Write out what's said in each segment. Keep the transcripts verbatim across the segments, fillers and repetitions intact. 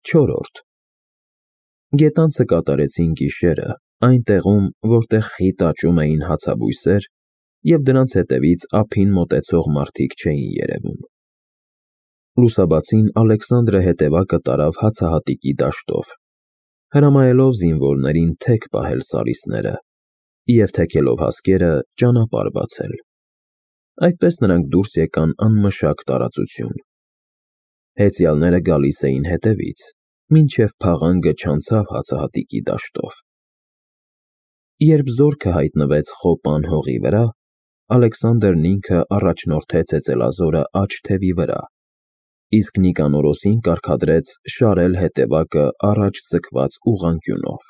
Չորրորդ Գետանցը կատարեցին գիշերը այն տեղում, որտեղ խիտ աճում էին հացաբույսեր, և դրանց հետևից ափին մոտեցող մարդիկ չէին երևում։ Լուսաբացին Ալեքսանդրը հետևակը տարավ հացահատիկի դաշտով, հրամայելով զինվորներին թեք պահել սարիսները և թեքելով հասկերը ճանապարհ բացել։ Այդպես նրանք դուրս եկան անմշակ տարածություն։ Հեծյալները գալիս էին հետևից, մինչև փաղանգը չանցավ հացահատիկի դաշտով։ Երբ զորքը հայտնվեց Խոպան հողի վրա, Ալեքսանդրն ինքը առաջնորդեց հեծելազորը աջ թևի վրա, իսկ Նիկանորոսին կարգադրեց շարել հետևակը առաջ ձգված ուղղանկյունով։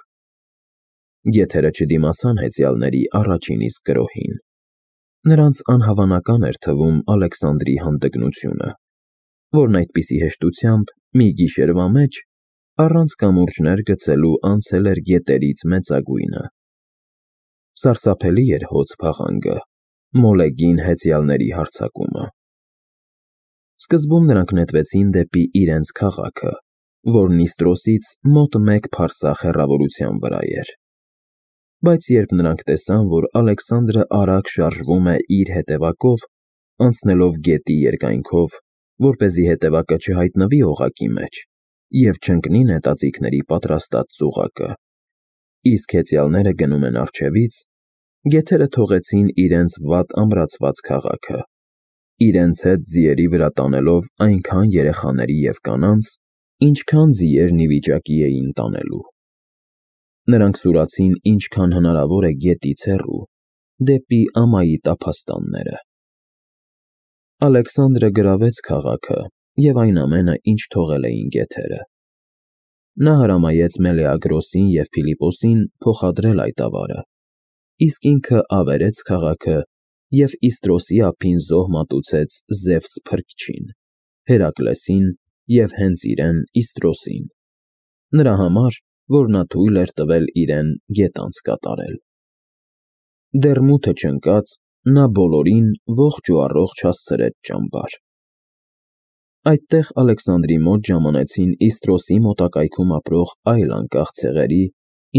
Գեթերը չդիմացան հեծյալների առաջին իսկ գրոհին։ Նրանց անհավանական էր թվում Ալեքսանդրի հանդգնությունը, որն այդպիսի հեշտությամբ մի գիշերվա մեջ առանց կամուրջներ գցելու անցել էր գետերից մեծագույնը։ Սարսափելի էր հոծ փաղանգը, մոլեգին հեծյալների հարձակումը։ Սկզբում նրանք նետվեցին դեպի իրենց քաղաքը, որն Իստրոսից մոտ մեկ փարսախ հեռավորության վրա էր։ Բայց երբ նրանք տեսան, որ Ալեքսանդրը արագ շարժվում է իր հետևակով, անցնելով գետի երկայնքով, որպեսզի հետևակը չհայտնվի օղակի մեջ և չընկնի նետաձիգների պատրաստած ծուղակը, իսկ հեծյալները գնում են առջևից, գեթերը թողեցին իրենց վատ ամրացված քաղաքը, իրենց հետ ձիերի վրա տանելով այնքան երեխաների և կանանց, ինչքան ձիերն ի վիճակի էին տանելու։ Նրանք սուրացին ինչքան հնարավոր է գետից հեռու, դեպի ամայի տափաստանները։ Ալեքսանդրը գրավեց քաղաքը և այն ամենը, ինչ թողել էին գեթերը։ Նա հրամայեց Մելեագրոսին և Փիլիպոսին փոխադրել այդ ավարը, իսկ ինքը ավերեց քաղաքը և Իստրոսի ափին զոհ մատուցեց Զևս Փրկչին, Հերակլեսին և հենց իրեն Իստրոսին, նրա համար, որ նա թույլ էր տվել իրեն գետանց կատարել։ Դեռ մութը չընկած, նա բոլորին ողջ ու առողջ հասցրեց ճամբար։ Այդտեղ Ալեքսանդրի մոտ ժամանեցին Իստրոսի մոտակայքում ապրող այլ անկախ ցեղերի,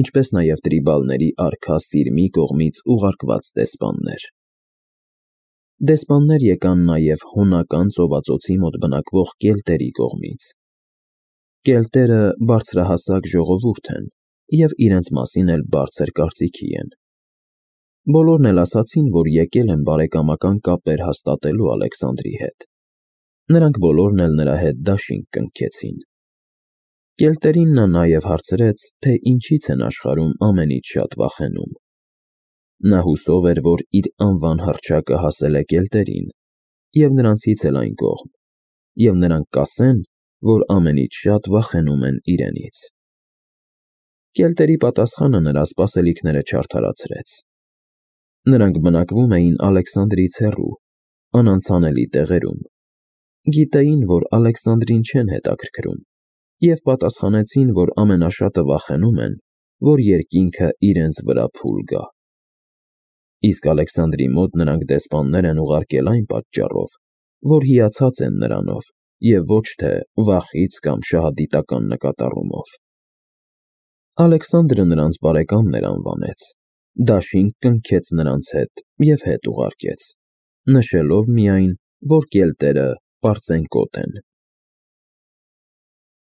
ինչպես նաև տրիբալների արքա Սիրմի կողմից ուղարկված դեսպաններ։ Դեսպաններ եկան նաև Հոնական ծովածոցի մոտ բնակվող կելտերի կողմից։ Կելտերը բարձրահասակ ժողովուրդ են և իրենց մասին էլ բարձր կարծիքի են։ Բոլորն էլ ասացին, որ եկել են բարեկամական կապեր հաստատելու Ալեքսանդրի հետ։ Նրանք բոլորն էլ նրա հետ դաշինք կնքեցին։ Կելտերին նա նաև հարցրեց, թե ինչից են աշխարհում ամենից շատ վախենում։ Նա հուսով էր, որ իր անվան հռչակը հասել է կելտերին և նրանցից էլ այն կողմ, և նրանք կասեն, որ ամենից շատ վախենում են իրենից։ Կելտերի պատասխանը նրա սպասելիքները չարդարացրեց։ Նրանք բնակվում էին Ալեքսանդրից հեռու, անանցանելի տեղերում, գիտեին, որ Ալեքսանդրին չեն հետաքրքրում, և պատասխանեցին, որ ամենաշատը վախենում են, որ երկինքը իրենց վրա փուլ գա։ Իսկ Ալեքսանդրի մոտ նրանք դեսպաններ են ուղարկել այն պատճառով, որ հիացած են նրանով և ոչ թե վախից կամ շահադիտական նկատառումով։ Ալեքսանդրը նրանց բարեկամներ անվանեց, դաշինք կնքեց նրանց հետ և հետ ուղարկեց, նշելով միայն, որ կելտերը պարծենկոտ են։